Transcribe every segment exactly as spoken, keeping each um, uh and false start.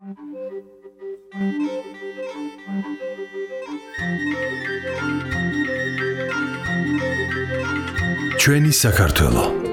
ჩვენი საქართველო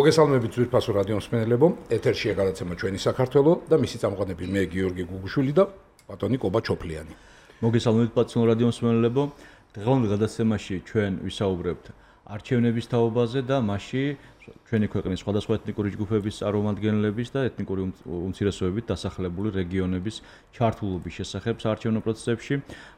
მოგესალმებით ძვირფასო რადიო მსმენელებო, ეთერშია გადაცემა ჩვენი საქართველო და მისი წამყვანები მე გიორგი გუგუშვილი და ბატონი კობა ჩოფლიანი. მოგესალმებით პაცნო რადიო მსმენელებო, დღევანდელ გადაცემაში ჩვენ ვისაუბრებთ არჩევნების თაობაზე და მასში ჩვენი ქვეყნის სხვადასხვა ეთნიკური ჯგუფების წარმომადგენლების და ეთნიკური უმცირესობებით დასახლებული რეგიონების ჩართულობის შესახებ საარჩევნო პროცესებში.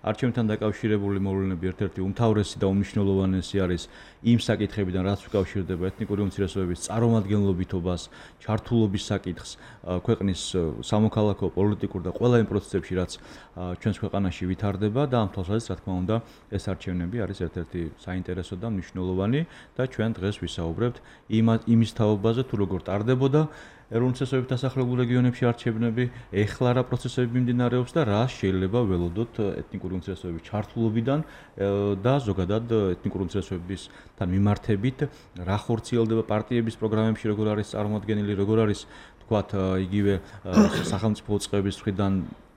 არჩევნებთან დაკავშირებული მოვლენები ერთ-ერთი უმთავრესი და უმნიშვნელოვანესი არის იმ საკითხებიდან, რაც უკავშირდება ეთნიკური უმცირესობების წარმომადგენლობითობას, ჩართულობის საკითხს ქვეყნის სამოქალაქო, პოლიტიკურ და ყველა იმ პროცესებში, რაც ჩვენს ქვეყანაში ვითარდება და ამ თვალსაზრისით, რა თქმა უნდა, ეს არჩევნები არის ერთ-ერთი საინტერესო და მნიშვნელოვანი და ჩვენ დღეს ვისაუბრებთ იმის თაობაზე, თუ როგორ ტარდებოდა ეროვნულ უმცირესობებით დასახლებულ რეგიონებში არჩევნები, ეხლა რა პროცესები მიმდინარეობს და რა შეიძლება ველოდოთ ეთნიკური უმცირესობების ჩართულობიდან და ზოგადად ეთნიკური უმცირესობებისთან მიმართებით, რა ხორციელდება პარტიების პროგრამებში, როგორ არის წარმოადგენილი, როგორ არის თქვათ იგივე სახელმწიფო წყების მხრიდან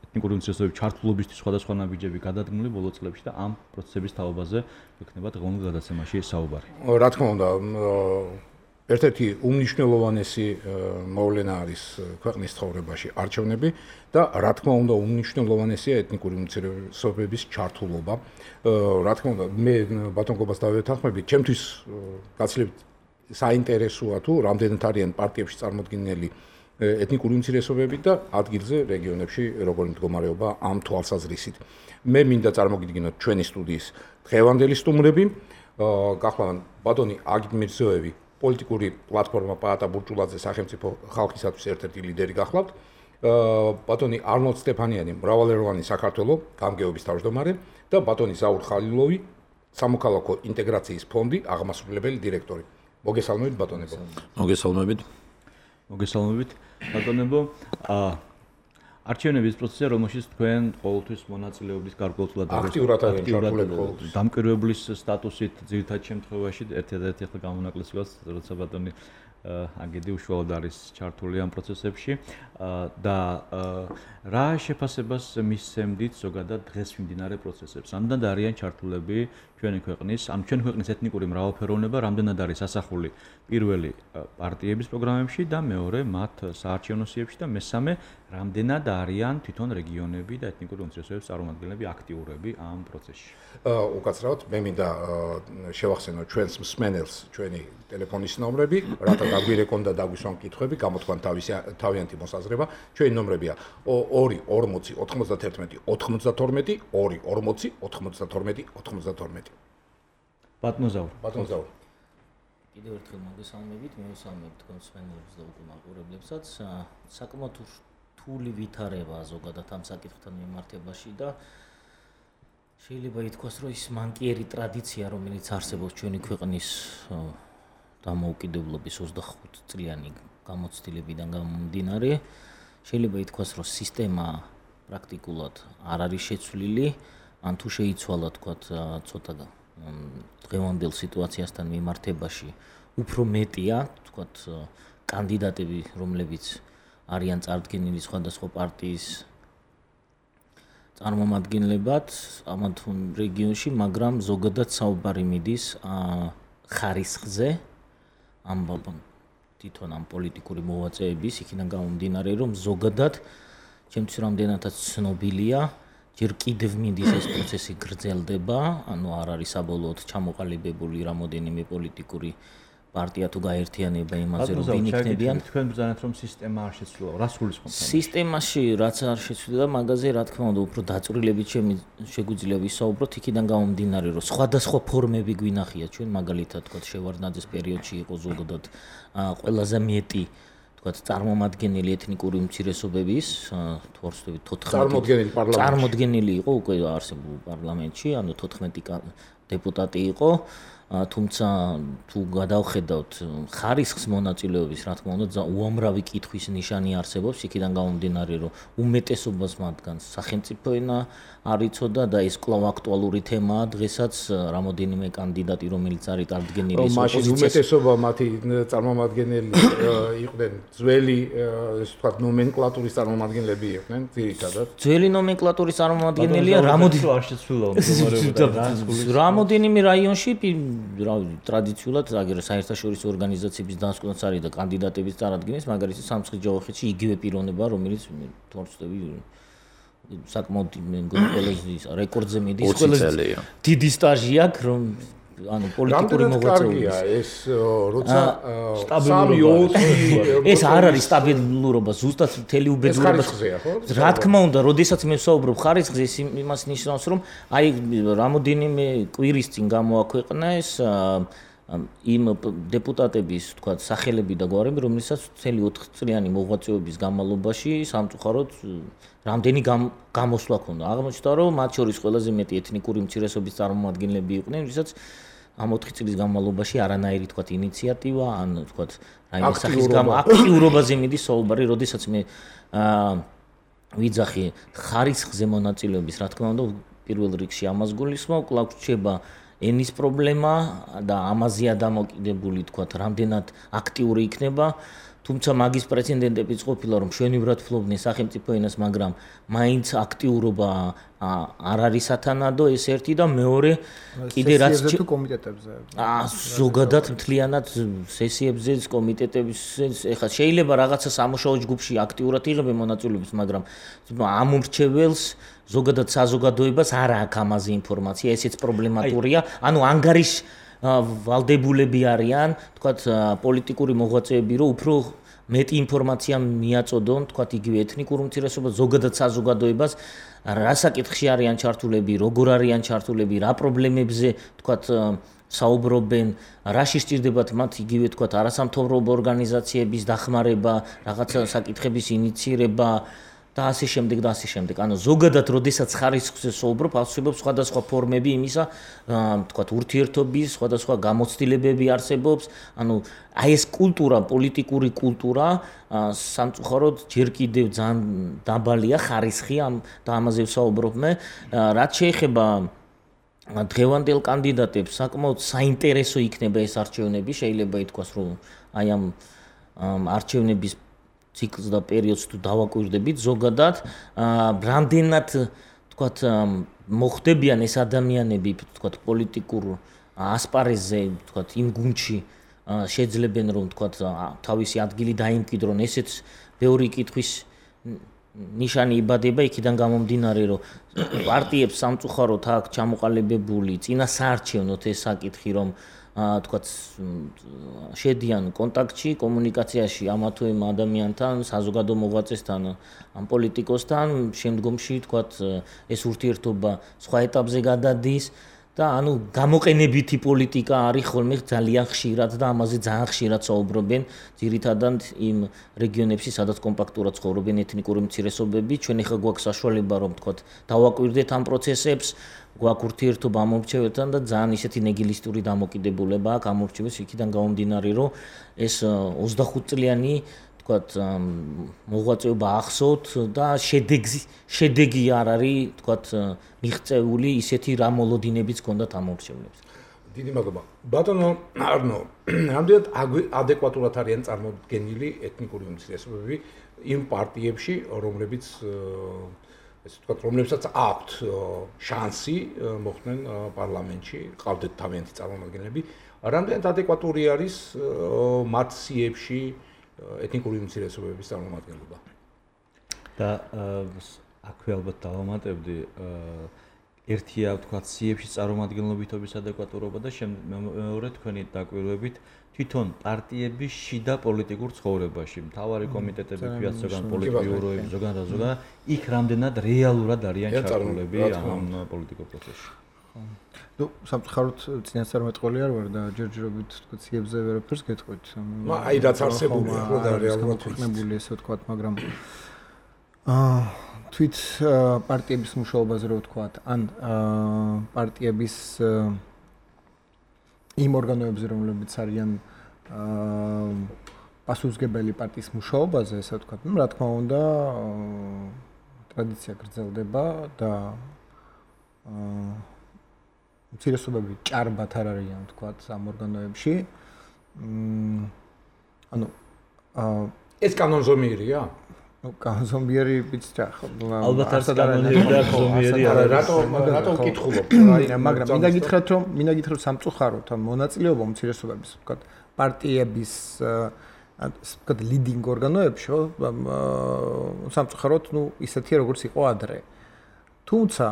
ეთნიკური უმცირესობების ჩართულობისთვის სხვადასხვა ნაბიჯები გადადგმული ბოლო წლებში და ამ პროცესების თაობაზე ვიქნება დღევანდელ გადაცემაში საუბარი. რა თქმა უნდა, ერთ-ერთი უმნიშვნელოვანესი მოვლენა არის ქვეყნის ცხოვრებაში არჩევნები და რა თქმა უნდა უმნიშვნელოვანესია ეთნიკური უმცირესობების ჩართულობა. რა თქმა უნდა, მე ბატონ კობას დავეთანხმებით, ჩემთვის გაცილებით საინტერესოა თუ რამდენად არიან პარტიებში წარმოდგენილი ეთნიკური უმცირესობები და ადგილზე რეგიონებში როგორი მდგომარეობა ამ თვალსაზრისით. მე მინდა წარმოგიდგინოთ ჩვენი სტუდიის დღევანდელი სტუმრები, გახლავთ ბატონი აგით მირზოევი, პოლიტიკური პლატფორმა პაატა ბურჭულაძე სახელმწიფო ხალხისათვის ერთ-ერთი ლიდერი გახლავთ, ბატონი არნოლდ სტეფანიანი, მრავალეროვანი საქართველო გამგეობის თავმჯდომარე და ბატონი ზაურ ხალილოვი, სამოქალაქო ინტეგრაციის ფონდი აღმასრულებელი დირექტორი. მოგესალმებით ბატონებო. მოგესალმებით. მოგესალმებით ბატონებო. არჩევნების პროცესია, რომელშიც თქვენ ყოველთვის მონაწილეობის გარკვეულწილად აქტიურად არიან დამკვირვებლის სტატუსით ძირითად შემთხვევაში ერთ-ერთი ახლა გამონაკლისი გვაქვს, როცა ბატონი აგედი უშუალოდ არის ჩართული ამ პროცესებში და რა შეფასებას მისცემდით ზოგადად დღეს მიმდინარე პროცესებს? რამდენად არიან ჩართულები ჩვენი ქვეყნის, ამ ჩვენი ქვეყნის ეთნიკური მრავალფეროვნება, რამდენად არის ასახული პირველი პარტიების პროგრამებში და მეორე მათ საარჩევნო სიებში და მესამე რამდენად არიან თვითონ რეგიონები და ეთნიკური უმცირესობების წარმომადგენლები აქტიურები ამ პროცესში? უკაცრავად, მე მინდა შევახსენო ჩვენს მსმენელს ჩვენი ტელეფონის ნომრები, რათა დაგვირეკონ და დაგვისვან კითხვები, გამოთქვან თავიანთი მოსაზრება. ჩვენი ნომრებია ორი ორმოცი ოთხმოცდათერთმეტი ოთხმოცდათორმეტი, ორი ორმოცი ოთხმოცდათორმეტი ოთხმოცდათორმეტი. ბატონო ზაურ. ბატონო ზაურ. კიდევ ერთხელ მოგესალმებით, მივესალმებით თქვენ მსმენელებს და უკვე მაყურებლებსაც. საკმაოდ რთული ვითარება ზოგადად ამ საკითხთან მიმართებაში და შეიძლება ითქვას, რომ ის მანკიერი ტრადიცია, რომელიც არსებობს ჩვენი ქვეყნის დამოუკიდებლობის ოცდახუთ წლიანი გამოცდილებიდან გამომდინარე, შეიძლება ითქვას, რომ სისტემა პრაქტიკულად არ არის შეცვლილი, ან თუ შეიცვალა თქვათ ცოტა დღევანდელ სიტუაციასთან მიმართებაში უფრო მეტია, თქვათ კანდიდატები, რომლებიც არიან წარდგენილი სხვადასხვა პარტიის წარმომადგენლებად ამ რეგიონში, მაგრამ ზოგადად საუბარი მიდის ხარისხზე, ამ თვითონ ამ პოლიტიკური მოღვაწეების იქიდან გამომდინარე, რომ ზოგადად ჩემთვის რამდენადაც ცნობილია, ჯერ კიდევ მიდის ეს პროცესი გრძელდება, ანუ არ არის საბოლოოდ ჩამოყალიბებული რამოდენიმე პოლიტიკური პარტია თუ გაერთიანება იმაზე, რომ ვინ იქნებიან. თქვენ ბრძანებთ, რომ სისტემა არ შეცვლილა, რა სულისხმობთ? სისტემაში რაც არ შეცვლილა, მაგაზე რა თქმა უნდა უფრო დაწვრილებით შეგვიძლია ვისაუბროთ, იქიდან გამომდინარე, რომ სხვადასხვა ფორმები გვინახია ჩვენ, მაგალითად, თქვა შევარდნაძის პერიოდში იყო ზოგადად ყველაზე მეტი თქვათ წარმომადგენელი ეთნიკური უმცირესობების, თუ არ ვცდები თოთხმეტი წარმოდგენილი პარლამენტში. წარმოდგენილი იყო უკვე არსებულ პარლამენტში, ანუ თოთხმეტი დეპუტატი იყო, თუმცა თუ გადავხედავთ ხარისხის მონაწილეობის, რა თქმა უნდა, უამრავი კითხვის ნიშანი არსებობს, იქიდან გამომდინარე, რომ უმეტესობას მათგანს სახელმწიფო ენა არ იცოდა და ეს კვლავ აქტუალური თემაა დღესაც, რამოდენიმე კანდიდატი, რომელიც არის წარდგენილი ეს ოპოზიციას. უმეტესობა მათი წარმომადგენელი იყვნენ ძველი, ესე ვთქვათ, ნომენკლატურის წარმომადგენლები იყვნენ, ძირითადად. ძველი ნომენკლატურის წარმომადგენელია რამოდენიმე არ შეცვლილა მდგომარეობა. რამოდენიმე რაიონში რა ტრადიციულად აგერ საერთაშორისო ორგანიზაციების დასკვნაც არის და კანდიდატების წარადგენის, მაგალითად სამცხის ჯავახეთში იგივე პიროვნება, რომელიც თორცდები საკმაოდ ყველაზე რეკორდზე მიდის, ყველაზე დიდი სტაჟი აქვს, რომ ანუ პოლიტიკური მოღვაწეობის. ეს როცა სტაბილურობა ეს არ არის სტაბილურობა, ზუსტად მთელი უბედურება. რა თქმა უნდა, როდესაც მე ვსაუბრობ ხარისხზე, ეს იმას ნიშნავს, რომ აი რამოდენიმე კვირის წინ გამოაქვეყნა ეს იმ დეპუტატების, თქვათ, სახელები და გვარები, რომელსაც მთელი ოთხ წლიანი მოღვაწეობის განმავლობაში სამწუხაროდ რამდენი გამოსვლა ჰქონდა. აღმოჩნდა, რომ მათ შორის ყველაზე მეტი ეთნიკური უმცირესობის წარმომადგენლები იყვნენ, ვისაც ამ ოთხ წლის განმავლობაში არანაირი, თქვათ, ინიციატივა, ან თქვათ, რაიმე სახის აქტიურობაზე მიდის საუბარი, როდესაც მე ვიძახი ხარისხზე მონაწილეობის, რა თქმა უნდა, პირველ რიგში ამას გულისხმობ, კვლავ რჩება ენის პრობლემა და ამაზეა დამოკიდებული, თქვათ, რამდენად აქტიური იქნება. თუმცა მაგის პრეცედენტებიც ყოფილა, რომ მშვენივრად ფლობდნენ სახელმწიფო ენას, მაგრამ მაინც აქტიურობა არ არის სათანადო, ეს ერთი და მეორე კიდე რაც სესიებზე თუ კომიტეტებზე. აა ზოგადად მთლიანად სესიებზე, კომიტეტებზე, ეხლა შეიძლება რაღაცა სამუშაო ჯგუფში აქტიურად იღებენ მონაწილეობას, მაგრამ ამ მრჩეველს ზოგადად საზოგადოებას არ აქვს ამაზე ინფორმაცია, ესეც პრობლემატურია. ანუ ანგარიშ ვალდებულები არიან, თქვათ, პოლიტიკური მოღვაწეები, რომ უფრო მეტი ინფორმაცია მიაწოდონ, თქვათ, იგივე ეთნიკურ უმცირესობას, ზოგადად საზოგადოებას, რა საკითხში არიან ჩართულები, როგორ არიან ჩართულები, რა პრობლემებზე, თქვათ, საუბრობენ, რაში სჭირდებათ მათ იგივე, თქვათ, არასამთავრობო ორგანიზაციების დახმარება, რაღაცა საკითხების ინიცირება და ასე შემდეგ და ასე შემდეგ. ანუ ზოგადად, როდესაც ხარისხზე საუბრობ, არსებობს სხვადასხვა ფორმები იმისა, თქვათ, ურთიერთობის, სხვადასხვა გამოცდილებები არსებობს. ანუ აი ეს კულტურა, პოლიტიკური კულტურა, სამწუხაროდ ჯერ კიდევ ძალიან დაბალია ხარისხი ამ და ამაზე ვსაუბრობ მე. რაც შეეხება დღევანდელ კანდიდატებს, საკმაოდ საინტერესო იქნება ეს არჩევნები, შეიძლება ითქვას, რომ აი ამ არჩევნების ციკლს და პერიოდს თუ დავაკვირდებით ზოგადად, რამდენად, თქვათ, მოხდებიან ეს ადამიანები, თქვათ, პოლიტიკურ ასპარეზზე, თქვათ, იმ გუნდში შეძლებენ, რომ, თქვათ, თავისი ადგილი დაიმკვიდრონ, ესეც ბევრი კითხვის ნიშანი იბადება, იქიდან გამომდინარე, რომ პარტიებს სამწუხაროდ აქვს ჩამოყალიბებული წინასაარჩევნოთ ეს საკითხი, რომ თქვათ, შედიან კონტაქტში, კომუნიკაციაში ამა თუ იმ ადამიანთან, საზოგადო მოღვაწესთან, ამ პოლიტიკოსთან, შემდგომში, თქვათ, ეს ურთიერთობა სხვა ეტაპზე გადადის და ანუ გამოყენებითი პოლიტიკა არის ხოლმე ძალიან ხშირად და ამაზე ძალიან ხშირად საუბრობენ ძირითადად იმ რეგიონებში, სადაც კომპაქტურად ცხოვრობენ ეთნიკური უმცირესობები. ჩვენ ახლა გვაქვს საშუალება, რომ თქვათ, დავაკვირდეთ ამ პროცესებს, გვაქვს ურთიერთობა ამ მრჩეველთან და ძალიან ისეთი ნეგილისტური დამოკიდებულება აქვს ამ მრჩეველს, იქიდან გამომდინარე, რომ ეს ოცდახუთ წლიანი, თქვათ, მოღვაწეობა ახსოვთ და შედეგი შედეგი არ არის, თქვათ, მიღწეული ისეთი რა მოლოდინებიც ჰქონდათ ამ მრჩევლებს. დიდი მადლობა. ბატონო არნო, რამდენად ადეკვატურად არიან წარმოდგენილი ეთნიკური უმცირესობები იმ პარტიებში, რომლებიც ესე ვთქვათ, რომლებსაც აქვთ შანსი მოხვდნენ პარლამენტში, ყავდეთ თავიანთი წარმომადგენლები, რამდენად ადეკვატური არის მათ სიებში ეთნიკური უმცირესობების წარმომადგენლობა? და აქვე ალბათ დავამატებდი, ერთია, ვთქვათ, სიებში წარმომადგენლობითობის ადეკვატურობა და მეორე თქვენი დაკვირვებით თვითონ პარტიების შიდა პოლიტიკურ ცხოვრებაში, მთავარი კომიტეტები, ქვიათ, ზოგან პოლიტბიუროები, ზოგან და ზოგან, იქ რამდენად რეალურად არიან ჩართულები ამ პოლიტიკურ პროცესში. ნუ, სამწუხაროდ წინასწარმეტყველი არ ვარ და ჯერჯერობით, თქვათ, სიებზე ვერაფერს გეტყვით. აი, რაც არსებული ახლა და რეალურად ვიქნებული, ესე ვთქვათ, მაგრამ აა თვით პარტიების მუშაობაზე რო ვთქვათ, ან პარტიების იმ ორგანოებზე, რომლებიც არიან აა პასუხისმგებელი პარტიის მუშაობაზე, ესე ვთქვათ, ну, რა თქმა უნდა, ტრადიცია გრძელდება და აა მცირესობები ჭარბად არ არიან, ვთქვათ, ამ ორგანოებში. მ ანუ აა ეს კანონზომიერია? ну, კანონზომიერი ვიცი, ხო, ალბათ არც კანონიერი და ზომიერი არა, რატო რატო ვკითხულობ? მაგრამ მინდა გითხრათ, რომ მინდა გითხრათ სამწუხაროდ, ამ მონაწილეობა უმცირესობების, ვთქვათ, პარტიების ვთქვათ, ლიდინგ ორგანოებში, ხო, სამწუხაროდ, ну, ისეთია, როგორც იყო ადრე. თუმცა,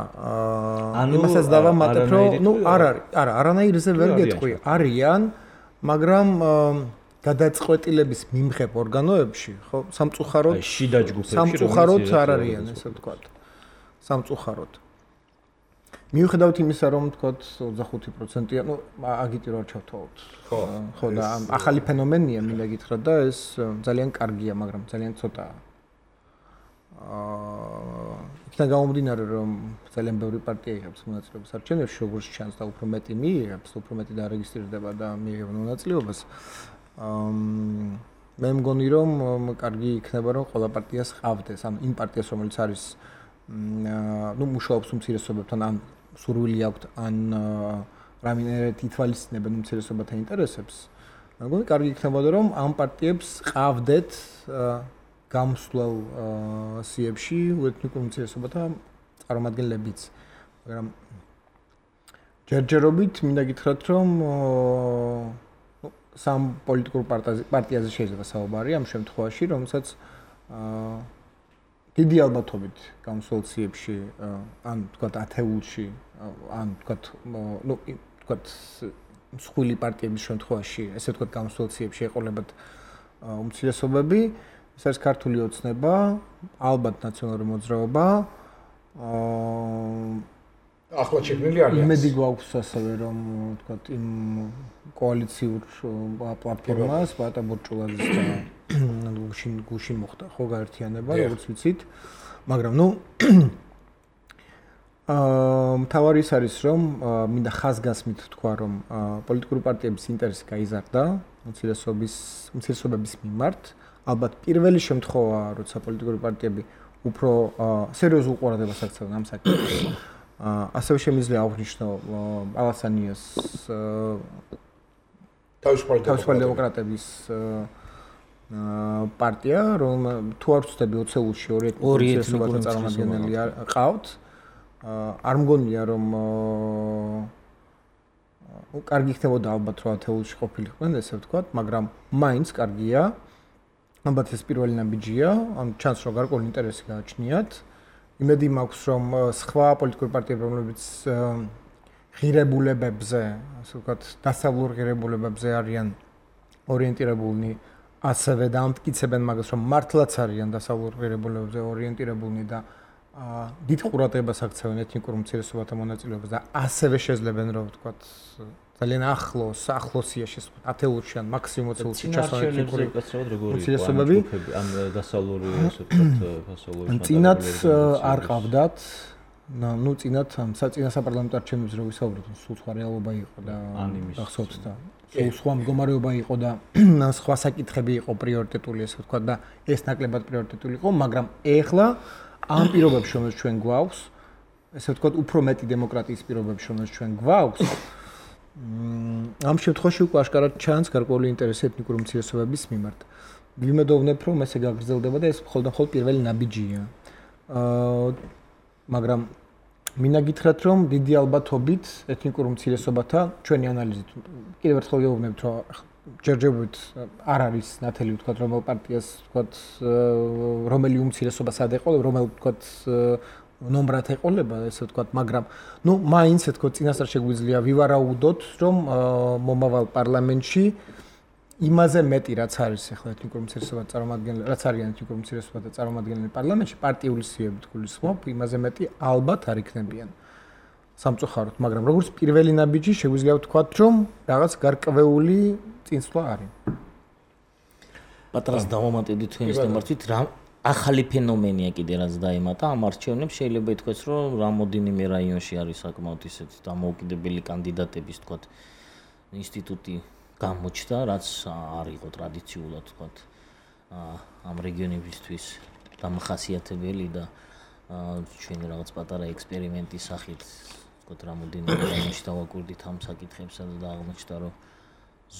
იმასაც დავამატებ, რომ, ну, არ არის, არა, არანაირზე ვერ გეტყვი, არიან, მაგრამ გადაწყვეტილების მიმღებ ორგანოებში, ხო, სამწუხაროდ, შიდა ჯგუფებში, სამწუხაროდ არ არიან, ესე ვთქვათ. სამწუხაროდ. მიუხედავად იმისა, რომ ვთქვათ, ოცდახუთი პროცენტია, ну, აგიტი რო არ ჩავთვალოთ. ხო, ხო, და ახალი ფენომენია, მინდა გითხრათ და ეს ძალიან კარგია, მაგრამ ძალიან ცოტაა. აა, იქიდან გამომდინარე, რომ ძალიან ბევრი პარტია იღებს მონაწილეობას არჩევნებში, როგორც ჩანს და უფრო მეტი მიიღებს, უფრო მეტი დარეგისტრირდება და მიიღება მონაწილეობას. აა მე მგონი რომ კარგი იქნება რომ ყველა პარტიას ყავდეს, ანუ იმ პარტიას რომელიც არის ნუ მუშაობს უმცირესობებთან ან სურვილი აქვთ ან რამენერეთ ითვალისწინებენ უმცირესობათა ინტერესებს. მე მგონი კარგი იქნებოდა რომ ამ პარტიებს ყავდეთ გამსვლელ სიებში ეთნიკურ უმცირესობათა წარმომადგენლებიც. მაგრამ ჯერჯერობით მინდა გითხრათ რომ სამ პოლიტიკურ პარტიაზე შეიძლება საუბარი ამ შემთხვევაში, რომელსაც აა დიდი ალბათობით გამსვლელ სიებში ან თქვათ ათეულში ან თქვათ ნუ თქვათ მსხვილი პარტიების შემთხვევაში, ესე ვთქვათ გამსვლელ სიებში ეყოლებათ უმცირესობები, ეს არის ქართული ოცნება, ალბათ ნაციონალური მოძრაობა, აა ახლა შექმნილი არის. იმედი გვაქვს ასევე რომ ვთქვათ იმ კოალიციურ პლატფორმას ბატა ბურჭულაძის და გუშინ გუშინ მოხდა ხო გაერთიანება, როგორც ვიცით, მაგრამ ნუ აა მთავარი ის არის რომ მინდა ხაზგასმით თქვა რომ პოლიტიკური პარტიების ინტერესი გაიზარდა უმცირესობის უმცირესობების მიმართ, ალბათ პირველი შემთხვევაა როცა პოლიტიკური პარტიები უფრო სერიოზულ ყურადღებას აქცევენ ამ საკითხს. ასევე შემიძლია აღვნიშნო ალასანიას თავისუფალი დემოკრატების პარტია, რომ თუ არ ვცდები ოცეულში ორი ეთნიკურ წარმომადგენელი ყავთ, არ მგონია რომ კარგი იქნებოდა ალბათ რომ ათეულში ყოფილიყვნენ, ესე ვთქვათ, მაგრამ მაინც კარგია. ალბათ ეს პირველი ნაბიჯია, ამ ჩანს რომ გარკვეული ინტერესი გააჩნიათ. იმედი მაქვს რომ სხვა პოლიტიკური პარტიები რომლებიც ღირებულებებზე, ასე ვთქვათ, დასავლურ ღირებულებებზე არიან ორიენტირებულნი, ასევე დაამტკიცებენ მაგას რომ მართლაც არიან დასავლურ ღირებულებებზე ორიენტირებულნი და დიდ ყურადღებას აქცევენ ეთნიკურ უმცირესობათა მონაწილეობას და ასევე შეძლებენ რომ ვთქვათ ძალიან ახლოს, ახლოსიაში ათეულში ან მაქსიმუმ ოცეულში ჩასვლა ეთნიკური უმცირესობები ან დასავლური ასე ვთქვათ ფასოლური წინათ არ ყავდათ, ნუ წინათ ამ საწინა საპარლამენტო არჩევნებზე რო ვისაუბროთ, სულ სხვა რეალობა იყო და გახსოვთ და სულ სხვა მდგომარეობა იყო და სხვა საკითხები იყო პრიორიტეტული, ასე ვთქვათ და ეს ნაკლებად პრიორიტეტული იყო, მაგრამ ეხლა ამ პირობებში რომელიც ჩვენ გვაქვს, ესე ვთქვათ, უფრო მეტი დემოკრატიის პირობებში რომელიც ჩვენ გვაქვს, ამ შემთხვევაში უკვე აშკარად ჩანს გარკვეული ინტერესი ეთნიკური უმცირესობების მიმართ. ვიმედოვნებ, რომ ესე გაგრძელდება და ეს მხოლოდ მხოლოდ პირველი ნაბიჯია. აა მაგრამ მინდა გითხრათ, რომ დიდი ალბათობით ეთნიკურ უმცირესობათა ჩვენი ანალიზით კიდევ ერთხელ გეუბნებთ, რომ ჯერჯერობით არ არის ნათელი ვთქვათ, რომელ პარტიას ვთქვათ, რომელი უმცირესობა სად ეყოლება, რომელ ვთქვათ ნომრად ეყოლება, ესე ვთქვათ, მაგრამ ნუ მაინც ეთქო წინასწარ შეგვიძლია ვივარაუდოთ, რომ მომავალ პარლამენტში იმაზე მეტი რაც არის ახლა ეთნიკურ უმცირესობათა წარმომადგენლები, რაც არიან ეთნიკურ უმცირესობათა წარმომადგენლები პარლამენტში, პარტიული სიებით გულისხმობ, იმაზე მეტი ალბათ არ იქნებიან. სამწუხაროდ, მაგრამ როგორც პირველი ნაბიჯი შეგვიძლია ვთქვათ, რომ რაღაც გარკვეული წინსვლა არის. პატრას დავამატებდი თქვენის თემართით, რა ახალი ფენომენია კიდე რაც დაემატა ამ არჩევნებს, შეიძლება ითქვას, რომ რამოდენიმე რაიონში არის საკმაოდ ისეთი დამოუკიდებელი კანდიდატების, თქვათ, ინსტიტუტი გამოჩნდა, რაც არ იყო ტრადიციულად თქვათ ამ რეგიონებისთვის დამახასიათებელი და ჩვენი რაღაც პატარა ექსპერიმენტის სახით თქვათ რამოდენიმე დღეში დავაკვირდით ამ საკითხებსა და აღმოჩნდა რომ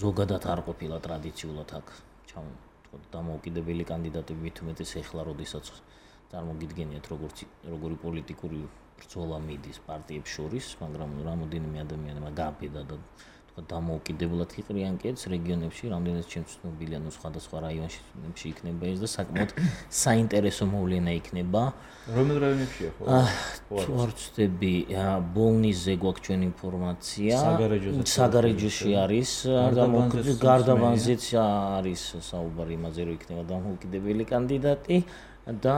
ზოგადად არ ყოფილა ტრადიციულად აქ ჩამ თქვათ დამოუკიდებელი კანდიდატები მით უმეტეს ეხლა როდესაც წარმოგიდგენიათ როგორც როგორი პოლიტიკური ბრძოლა მიდის პარტიებს შორის, მაგრამ რამოდენიმე ადამიანმა გააბედა და თქვათ დამოუკიდებლად იყრიან კეთს რეგიონებში, რამდენიც ჩემს ცნობილია, ნუ სხვადასხვა რაიონებში იქნება ეს და საკმაოდ საინტერესო მოვლენა იქნება. რომელ რაიონებშია ხო? თუ არ ვცდები, ბოლნისზე გვაქვს ჩვენ ინფორმაცია. საგარეჯოში არის, გარდაბანზეც არის საუბარი იმაზე, რომ იქნება დამოუკიდებელი კანდიდატი. და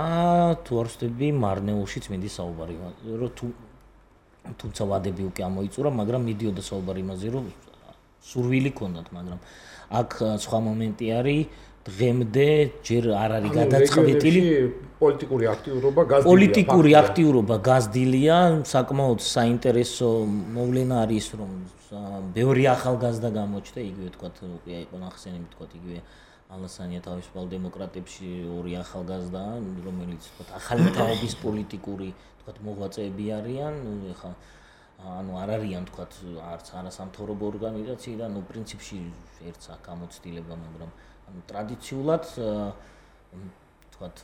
თუ არ ვცდები მარნეულშიც მინდის საუბარი რომ თუ თუმცა ვადები უკვე ამოიწურა მაგრამ მიდიოდა საუბარი იმაზე რომ სურვილი ქონდათ მაგრამ აქ სხვა მომენტი არის დღემდე ჯერ არ არის გადაწყვეტილი პოლიტიკური აქტიურობა გაზდილია პოლიტიკური აქტიურობა გაზდილია საკმაოდ საინტერესო მოვლენა არის რომ ბევრი ახალგაზრდა გამოჩნდა იგივე თქვა უკვე იყო ნახსენები თქვა იგივე ალასანია თავისუფალ დემოკრატებში ორი ახალგაზრდა, რომელიც თქვათ ახალი თაობის პოლიტიკური თქვათ მოღვაწეები არიან, ეხა ანუ არ არიან თქვათ არც არასამთავრობო ორგანიზაციიდან, ნუ პრინციპში ერთს აქ გამოცდილება, მაგრამ ანუ ტრადიციულად თქვათ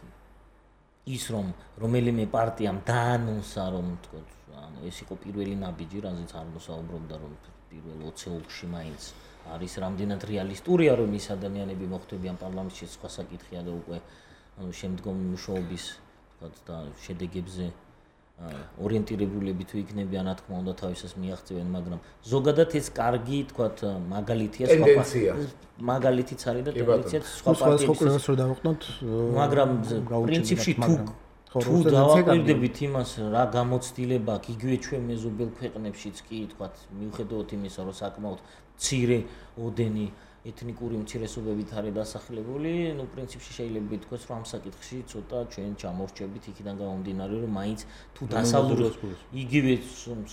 ის რომ რომელიმე პარტიამ დაანონსა რომ თქვათ ანუ ეს იყო პირველი ნაბიჯი, რაზეც არ მოსაუბრობდა რომ პირველ ოცეულში მაინც არის რამდენად რეალისტურია რომ ის ადამიანები მოხვდებიან პარლამენტში სხვა საკითხია და უკვე ანუ შემდგომი მუშაობის თქვათ და შედეგებზე ორიენტირებულები თუ იქნებიან რა თქმა უნდა თავისას მიაღწევენ მაგრამ ზოგადად ეს კარგი თქვათ მაგალითია სხვა მაგალითიც არის და ტენდენციაც სხვა პარტიებს რო დავუყნოთ მაგრამ პრინციპში თუ თუ დავაკვირდებით იმას რა გამოცდილება აქვს იგივე ჩვენ მეზობელ ქვეყნებშიც კი თქვათ მიუხედავად იმისა რომ საკმაოდ მცირე ოდენი ეთნიკური უმცირესობებით არის დასახლებული, ნუ პრინციპში შეიძლება ითქვას, რომ ამ საკითხში ცოტა ჩვენ ჩამორჩებით იქიდან გამომდინარე, რომ მაინც თუ დასავლურ იგივე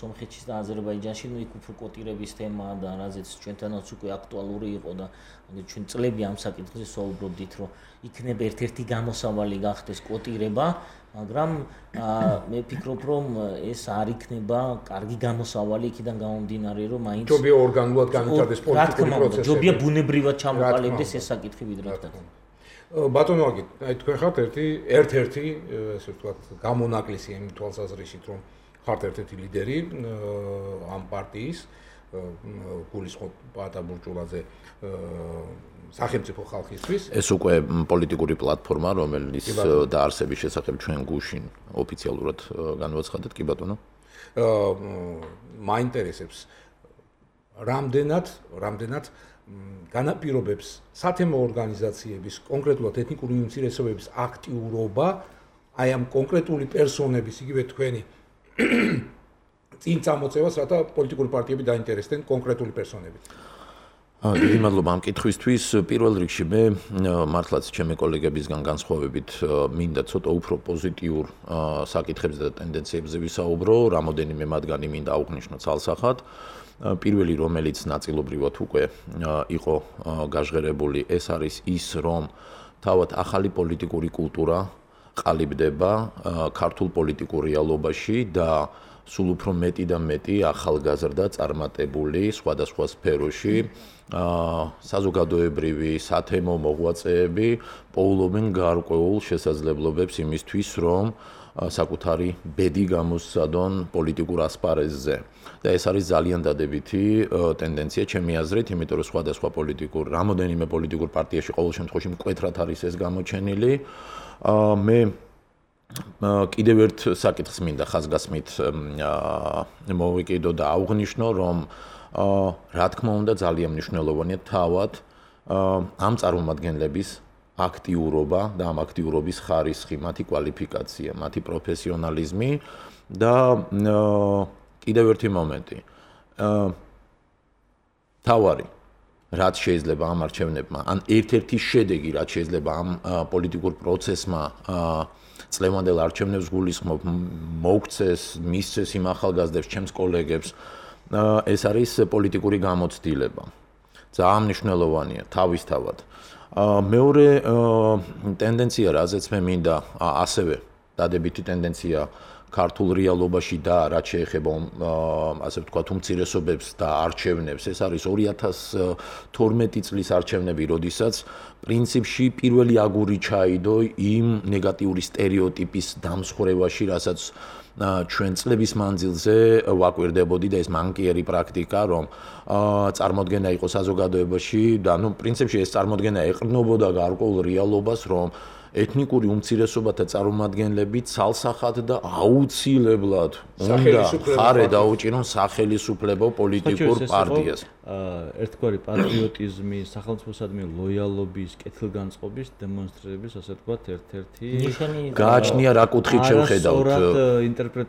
სომხეთში და აზერბაიჯანში, ნუ იქ უფრო კოტირების თემაა და რაზეც ჩვენთანაც უკვე აქტუალური იყო და ჩვენ წლები ამ საკითხზე საუბრობდით, რომ იქნება ერთ-ერთი გამოსავალი გახდეს კოტირება, მაგრამ მე ვფიქრობ, რომ ეს არ იქნება კარგი გამოსავალი იქიდან გამომდინარე, რომ მაინც ჯობია ორგანულად განვითარდეს პოლიტიკური პროცესები. ჯობია ბუნებრივად ჩამოყალიბდეს ეს საკითხი ვიდრე თქვა. ბატონო ვაგით, აი თქვენ ხართ ერთი ერთ-ერთი, ესე ვთქვათ, გამონაკლისი იმ თვალსაზრისით, რომ ხართ ერთ-ერთი ლიდერი ამ პარტიის გულისხმობ პატა ბურჭულაძე სახელმწიფო ხალხისთვის. ეს უკვე პოლიტიკური პლატფორმა, რომელიც დაარსების შესახებ ჩვენ გუშინ ოფიციალურად განვაცხადეთ, კი ბატონო? აა მაინტერესებს რამდენად, რამდენად განაპირობებს სათემო ორგანიზაციების, კონკრეტულად ეთნიკური უმცირესობების აქტიურობა აი ამ კონკრეტული პერსონების, იგივე თქვენი წინ წამოწევას, რათა პოლიტიკური პარტიები დაინტერესდნენ კონკრეტული პერსონებით. დიდი მადლობა ამ კითხვისთვის. პირველ რიგში მე მართლაც ჩემი კოლეგებისგან განსხვავებით მინდა ცოტა უფრო პოზიტიურ საკითხებზე და ტენდენციებზე ვისაუბრო, რამოდენიმე მათგანი მინდა აღვნიშნო ცალსახად. პირველი, რომელიც ნაწილობრივად უკვე იყო გაჟღერებული, ეს არის ის, რომ თავად ახალი პოლიტიკური კულტურა ყალიბდება ქართულ პოლიტიკურ რეალობაში და სულ უფრო მეტი და მეტი ახალგაზრდა წარმატებული სხვადასხვა სფეროში საზოგადოებრივი სათემო მოღვაწეები პოულობენ გარკვეულ შესაძლებლობებს იმისთვის, რომ საკუთარი ბედი გამოსცადონ პოლიტიკურ ასპარეზზე. და ეს არის ძალიან დადებითი ტენდენცია ჩემი აზრით, იმიტომ რომ სხვადასხვა პოლიტიკურ, რამოდენიმე პოლიტიკურ პარტიაში ყოველ შემთხვევაში მკვეთრად არის ეს გამოჩენილი. მე კიდევ ერთ საკითხს მინდა ხაზგასმით მოვიკიდო და აღვნიშნო, რომ რა თქმა უნდა ძალიან მნიშვნელოვანია თავად ამ წარმომადგენლების აქტიურობა და ამ აქტიურობის ხარისხი, მათი კვალიფიკაცია, მათი პროფესიონალიზმი და კიდევ ერთი მომენტი. თავარი რაც შეიძლება ამ არჩევნებმა, ან ერთ-ერთი შედეგი, რაც შეიძლება ამ პოლიტიკურ პროცესმა წლევანდელ არჩევნებს გულისხმობ, მოგვცეს, მისცეს იმ ახალგაზრდებს, ჩემს კოლეგებს, ეს არის პოლიტიკური გამოცდილება. ძალიან მნიშვნელოვანია თავისთავად. მეორე ტენდენცია, რაზეც მე მინდა ასევე დადებითი ტენდენცია ქართულ რეალობაში და რაც შეეხება ასე ვთქვათ უმცირესობებს და არჩევნებს, ეს არის ორი ათას თორმეტი წლის არჩევნები, როდესაც პრინციპში პირველი აგური ჩაიდო იმ ნეგატიური სტერეოტიპის დამსხვრევაში, რასაც ჩვენ წლების მანძილზე ვაკვირდებოდი და ეს მანკიერი პრაქტიკა, რომ წარმოდგენა იყო საზოგადოებაში და ნუ პრინციპში ეს წარმოდგენა ეყრდნობოდა გარკვეულ რეალობას, რომ ეთნიკური უმცირესობათა წარმომადგენლები ცალსახად და აუცილებლად უნდა ხარე დაუჭირონ სახელისუფლებო პოლიტიკურ პარტიას. ერთგვარი პატრიოტიზმი, სახელმწიფოსადმი ლოიალობის, კეთილგანწყობის დემონსტრირების, ასე ვთქვათ, ერთ-ერთი გააჩნია რა კუთხით შევხედავთ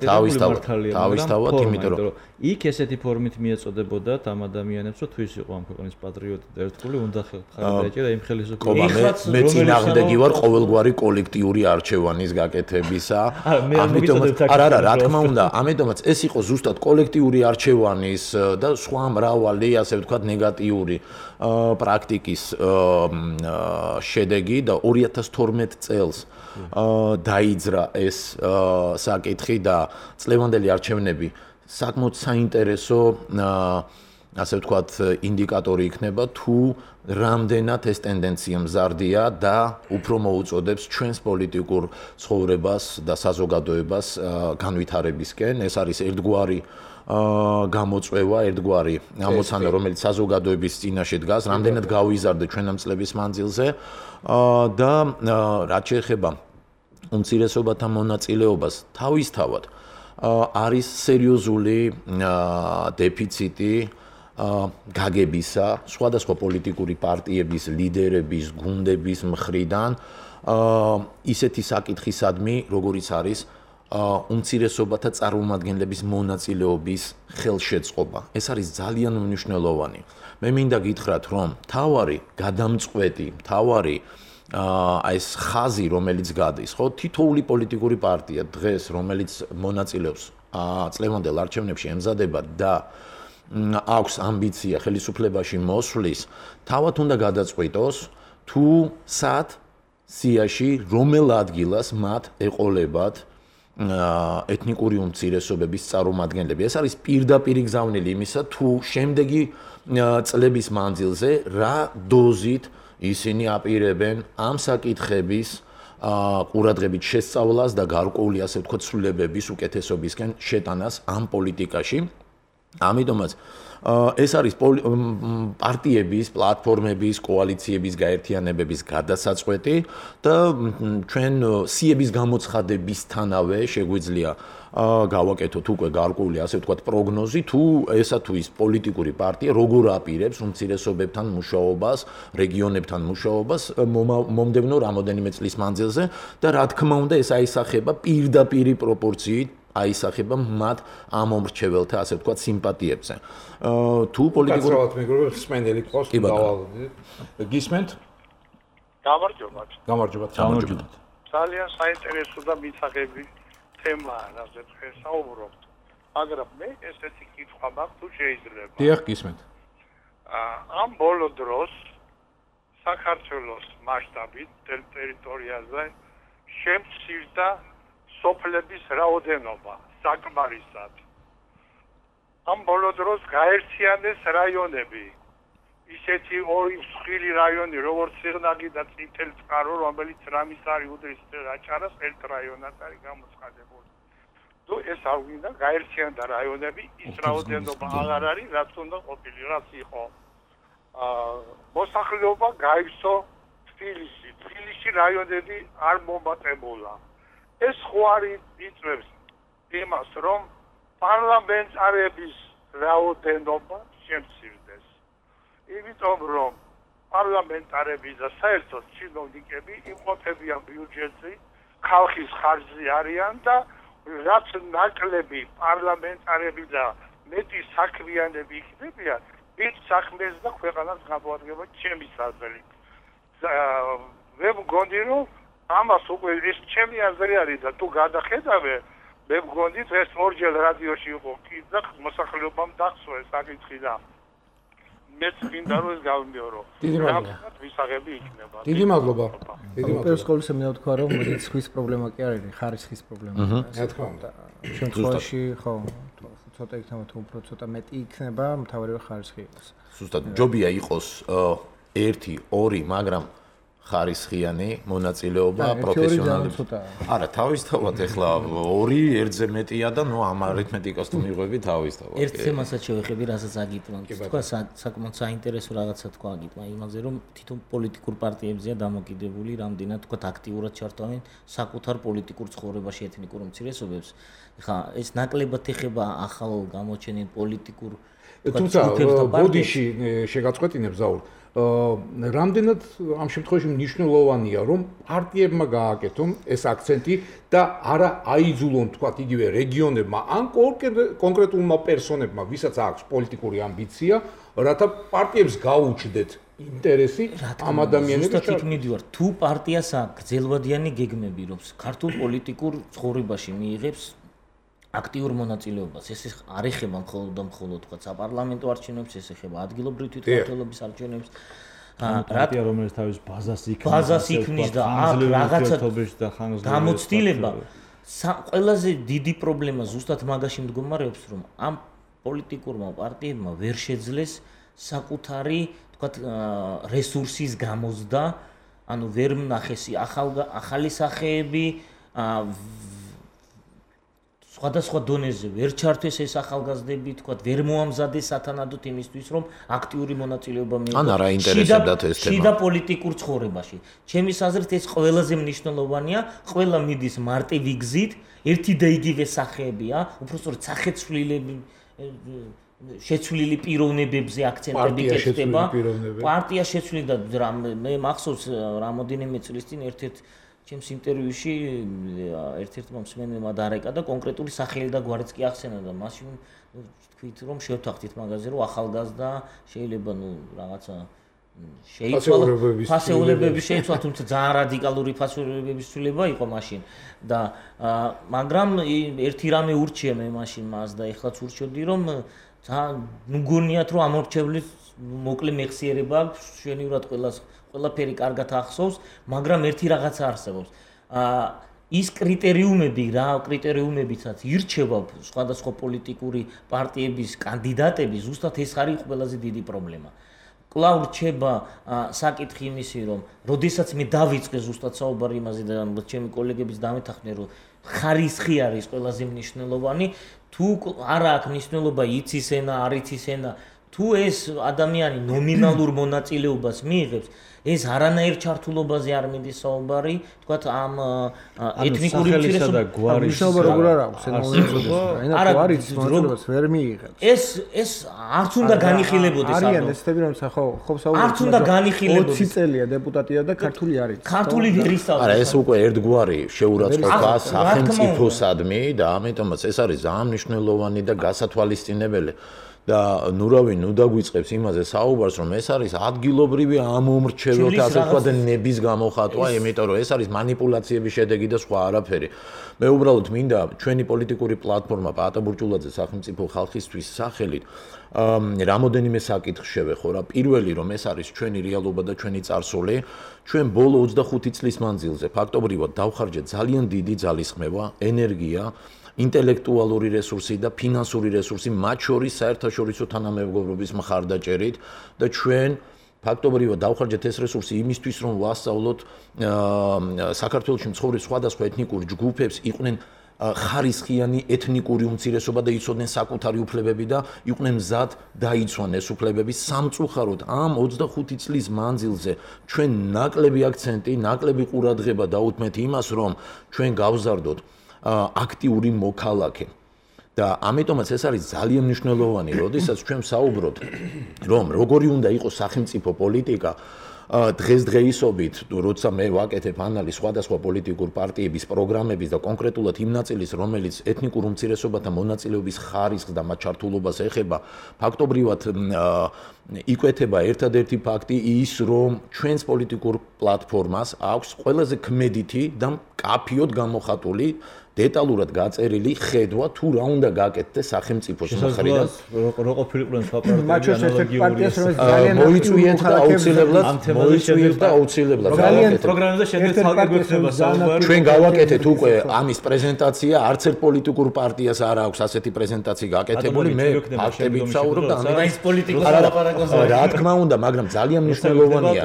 თავისთავად, თავისთავად, იმიტომ რომ იქ ესეთი ფორმით მიეწოდებოდათ ამ ადამიანებს, რომ თუ ის იყო ამ ქვეყნის პატრიოტი და ერთგული, უნდა ხარე დაეჭირა იმ ხელისუფლებას. მე წინააღმდეგი ვარ ყოველგვარი კოლექტიური არჩევანის გაკეთებისა. ამიტომ არა, არა, რა თქმა უნდა, ამიტომაც ეს იყო ზუსტად კოლექტიური არჩევანის და სხვა მრავალი ასე ვთქვათ ნეგატიური პრაქტიკის შედეგი და ორი ათას თორმეტი წელს დაიძრა ეს საკითხი და წლევანდელი არჩევნები საკმაოდ საინტერესო ასე ვთქვათ ინდიკატორი იქნება თუ რამდენად ეს ტენდენცია მზარდია და უფრო მოუწოდებს ჩვენს პოლიტიკურ ცხოვრებას და საზოგადოებას განვითარებისკენ. ეს არის ერთგვარი გამოწვევა, ერთგვარი ამოცანა, რომელიც საზოგადოების წინაშე დგას, რამდენად გავიზარდე ჩვენ ამ წლების მანძილზე და რაც შეეხება უმცირესობათა მონაწილეობას, თავისთავად არის სერიოზული დეფიციტი გაგებისა, სხვადასხვა პოლიტიკური პარტიების, ლიდერების, გუნდების მხრიდან ისეთი საკითხისადმი, როგორიც არის უმცირესობათა წარმომადგენლების მონაწილეობის ხელშეწყობა. ეს არის ძალიან მნიშვნელოვანი. მე მინდა გითხრათ, რომ თავარი გადამწყვეტი, თავარი აი ეს ხაზი, რომელიც გადის, ხო, თითოეული პოლიტიკური პარტია დღეს, რომელიც მონაწილეობს წლევანდელ არჩევნებში ემზადება და აქვს ამბიცია ხელისუფლებაში მოსვლის, თავად უნდა გადაწყვიტოს, თუ სად სიაში რომელ ადგილას მათ ეყოლებათ ეთნიკური უმცირესობების წარმომადგენლები. ეს არის პირდაპირი გზავნილი იმისა, თუ შემდეგი წლების მანძილზე რა დოზით ისინი აპირებენ ამ საკითხების ყურადღებით შესწავლას და გარკვეული ასე ვთქვათ ცვლილებების უკეთესობისკენ შეტანას ამ პოლიტიკაში. ამიტომაც ეს არის პარტიების, პლატფორმების, კოალიციების გაერთიანებების გადასაწყვეტი და ჩვენ სიების გამოცხადებისთანავე შეგვიძლია გავაკეთოთ უკვე გარკვეული ასე ვთქვათ პროგნოზი, თუ ესა თუ ის პოლიტიკური პარტია როგორ აპირებს უმცირესობებთან მუშაობას, რეგიონებთან მუშაობას მომდევნო რამოდენიმე წლის მანძილზე და რა თქმა უნდა ეს აისახება პირდაპირი პროპორციით აისახება მათ ამ მომრჩეველთა ასე ვთქვათ სიმპათიებზე. თუ პოლიტიკურ კაცრავად მეგობრებო, სპენდელი ყავს დავალდით. გისმენთ? გამარჯობა. გამარჯობა. გამარჯობა. ძალიან საინტერესო და მისაღები თემაა, რაზეც ვსაუბრობთ. მაგრამ მე ესეთი კითხვა მაქვს, თუ შეიძლება. დიახ, გისმენთ. ამ ბოლო დროს საქართველოს მასშტაბით ტერიტორიაზე შემცირდა სოფლების რაოდენობა საკმარისად. ამ ბოლო დროს გაერთიანეს რაიონები. ისეთი ორი მსხვილი რაიონი, როგორც სიღნაღი და წითელი წყარო, რომელიც რამის არის უდრის აჭარას ერთ რაიონად არის გამოცხადებული. თუ ეს არ გვინდა გაერთიანდა რაიონები, ის რაოდენობა აღარ არის, რაც უნდა ყოფილი, რაც იყო. აა მოსახლეობა გაივსო თბილისში. თბილისში რაიონები არ მომატებულა. ეს ხო არის იწვევს იმას, რომ პარლამენტარების რაოდენობა შემცირდეს. იმიტომ რომ პარლამენტარები და საერთოდ ჩინოვნიკები იმყოფებიან ბიუჯეტზე, ხალხის ხარჯზე არიან და რაც ნაკლები პარლამენტარები და მეტი საქმიანები იქნებიან, მით საქმეს და ქვეყანას გამოადგება ჩემი საზრით. მე მგონი რომ ამას უკვე ეს ჩემი აზრი არის და თუ გადახედავე, მე მგონი ეს ორჯერ რადიოში იყო კი და მოსახლეობამ დახსოვეს საკითხი და მეც მინდა რომ ეს გავიმეორო. დიდი მადლობა. ვისაღები იქნება. დიდი მადლობა. დიდი მადლობა. პირველ ყოვლისა მინდა ვთქვა რომ რიცხვის პრობლემა კი არ არის, ხარისხის პრობლემა. რა თქმა უნდა. შემთხვევაში ხო ცოტა იქნება თუ უფრო ცოტა მეტი იქნება, მთავარი რომ ხარისხი იყოს. ზუსტად ჯობია იყოს ერთი, ორი, მაგრამ ხარისხიანი მონაწილეობა პროფესიონალი. არა, თავისთავად ეხლა ორი ერთზე მეტია და ნუ ამ არითმეტიკას თუ მიღვევი თავისთავად. ერთ თემასაც შევეხები, რასაც აგიტმა. თქვა საკმაოდ საინტერესო რაღაცა თქვა აგიტმა იმაზე, რომ თვითონ პოლიტიკურ პარტიებზეა დამოკიდებული, რამდენად თქვა აქტიურად ჩართვენ საკუთარ პოლიტიკურ ცხოვრებაში ეთნიკურ უმცირესობებს. ეხლა ეს ნაკლებად ეხება ახალ გამოჩენილ პოლიტიკურ თუმცა ბოდიში შეგაწყვეტინებ ზაურ რამდენად ამ შემთხვევაში მნიშვნელოვანია რომ პარტიებმა გააკეთონ ეს აქცენტი და არა აიძულონ თქვა იგივე რეგიონებმა ან კონკრეტულმა პერსონებმა ვისაც აქვს პოლიტიკური ამბიცია რათა პარტიებს გაუჩნდეთ ინტერესი ამ ადამიანების ზუსტად მიდივარ თუ პარტიას აქვს გრძელვადიანი გეგმები რომ ქართულ პოლიტიკურ ცხოვრებაში მიიღებს აქტიურ მონაწილეობას ეს არ ეხება მხოლოდ და მხოლოდ თქვა საპარლამენტო არჩევნებს ეს ეხება ადგილობრივ თვითმმართველობის არჩევნებს პარტია რომელიც თავის ბაზას იქნის ბაზას იქნის და აქ რაღაცა გამოცდილება ყველაზე დიდი პრობლემა ზუსტად მაგაში მდგომარეობს რომ ამ პოლიტიკურმა პარტიებმა ვერ შეძლეს საკუთარი თქვა რესურსის გამოზდა ანუ ვერ მნახეს ახალი სახეები სხვადასხვა დონეზე ვერ ჩართვეს ეს ახალგაზრდები, თქვა, ვერ მოამზადეს სათანადოდ იმისთვის, რომ აქტიური მონაწილეობა მიიღოს. ან არა ინტერესებდათ ეს თემა. შიდა პოლიტიკურ ცხოვრებაში. ჩემის აზრით ეს ყველაზე მნიშვნელოვანია, ყველა მიდის მარტივი გზით, ერთი და იგივე სახეებია, უბრალოდ სახეცვლილები შეცვლილი პიროვნებებზე აქცენტები კეთდება. პარტია შეცვლილი და მე მახსოვს რამოდენიმე წლის წინ ერთ-ერთ ჩემს ინტერვიუში ერთ-ერთმა მსმენელმა დარეკა და კონკრეტული სახელი და გვარიც კი ახსენა და მაშინ თქვით რომ შევთანხმდით მაგაზე რომ ახალგაზრდა შეიძლება ნუ რაღაცა შეიცვალა ფასეულებების შეიცვალა თუმცა ძალიან რადიკალური ფასეულებების ცვლილება იყო მაშინ და მაგრამ ერთი რამე ურჩია მე მაშინ მას და ეხლაც ურჩევდი რომ ნუ გონიათ რომ ამორჩევლის მოკლე მეხსიერება აქვს შვენივრად ყველას ყველაფერი კარგად ახსოვს, მაგრამ ერთი რაღაცა არსებობს. აა ის კრიტერიუმები, რა კრიტერიუმებიცაც ირჩევა სხვადასხვა პოლიტიკური პარტიების კანდიდატები, ზუსტად ეს არის ყველაზე დიდი პრობლემა. კვლავ რჩება საკითხი იმისი, რომ როდესაც მე დავიწყე ზუსტად საუბარი იმაზე და ჩემი კოლეგებიც დამეთანხმდნენ, რომ ხარისხი არის ყველაზე მნიშვნელოვანი, თუ არა აქვს მნიშვნელობა იცის ენა, არ იცის ენა, თუ ეს ადამიანი ნომინალურ მონაწილეობას მიიღებს ეს არანაირ ჩართულობაზე არ მიდის საუბარი, თქვათ ამ ეთნიკური უმცირესობების მშობა როგორ არ აქვს ენოულობა, ენა თუ არის მონაწილეობას ვერ მიიღებს. ეს ეს არც უნდა განიხილებოდეს ამ. არიან ესეთები რომ ხო ხო საუბარი. არც უნდა განიხილებოდეს. ოცი წელია დეპუტატია და ქართული არის. ქართული ვერ ისწავლის. არა, ეს უკვე ერთგვარი შეურაცხყოფა სახელმწიფოსადმი და ამიტომაც ეს არის ძალიან მნიშვნელოვანი და გასათვალისწინებელი. და ნურავი ნუ დაგვიწყებს იმაზე საუბარს რომ ეს არის ადგილობრივი ამომრჩეველთა ასე ვთქვათ ნების გამოხატვა, იმიტომ რომ ეს არის манипуляციების შედეგი და სხვა არაფერი. მე უბრალოდ მინდა ჩვენი პოლიტიკური პლატფორმა პაატა ბურჭულაძე სახელმწიფო ხალხისთვის სახელით რამოდენიმე საკითხს შევეხო რა. პირველი რომ ეს არის ჩვენი რეალობა და ჩვენი წარსული, ჩვენ ბოლო ოცდახუთი წლის მანძილზე ფაქტობრივად დავხარჯეთ ძალიან დიდი ძალისხმევა, ენერგია ინტელექტუალური რესურსი და ფინანსური რესურსი მათ შორის საერთაშორისო თანამეგობრობის მხარდაჭერით და ჩვენ ფაქტობრივად დავხარჯეთ ეს რესურსი იმისთვის რომ ვასწავლოთ საქართველოში მცხოვრებ სხვადასხვა ეთნიკურ ჯგუფებს იყვნენ ხარისხიანი ეთნიკური უმცირესობა და იცოდნენ საკუთარი უფლებები და იყვნენ მზად დაიცვან ეს უფლებები სამწუხაროდ ამ ოცდახუთი წლის მანძილზე ჩვენ ნაკლები აქცენტი, ნაკლები ყურადღება დაუთმეთ იმას რომ ჩვენ გავზარდოთ აქტიური მოქალაქე და ამიტომაც ეს არის ძალიან მნიშვნელოვანი, როდესაც ჩვენ საუბრობთ რომ როგორი უნდა იყოს სახელმწიფო პოლიტიკა დღესდღეობით, როცა მე ვაკეთებ ანალიზს სხვადასხვა პოლიტიკურ პარტიების პროგრამების და კონკრეტულად იმ ნაწილის, რომელიც ეთნიკურ უმცირესობათა მონაწილეობის ხარისხს და მათ ჩართულობას ეხება, ფაქტობრივად იკვეთება ერთადერთი ფაქტი ის, რომ ჩვენს პოლიტიკურ პლატფორმას აქვს ყველაზე ქმედითი და მკაფიოდ გამოხატული დეტალურად გაწერილი ხედვა თუ რა უნდა გაკეთდეს სახელმწიფოს მხრიდან. რო ყოფილიყვნენ სხვა პარტიები მოიწვიეთ და აუცილებლად მოიწვიეთ და აუცილებლად გავაკეთეთ. პროგრამაზე შემდეგ ცალკე გვექნება საუბარი. ჩვენ გავაკეთეთ უკვე ამის პრეზენტაცია, არც ერთ პოლიტიკურ პარტიას არ აქვს ასეთი პრეზენტაცია გაკეთებული. მე ფაქტებით ვსაუბრობ და ამის პოლიტიკოს ლაპარაკობს. რა თქმა უნდა, მაგრამ ძალიან მნიშვნელოვანია.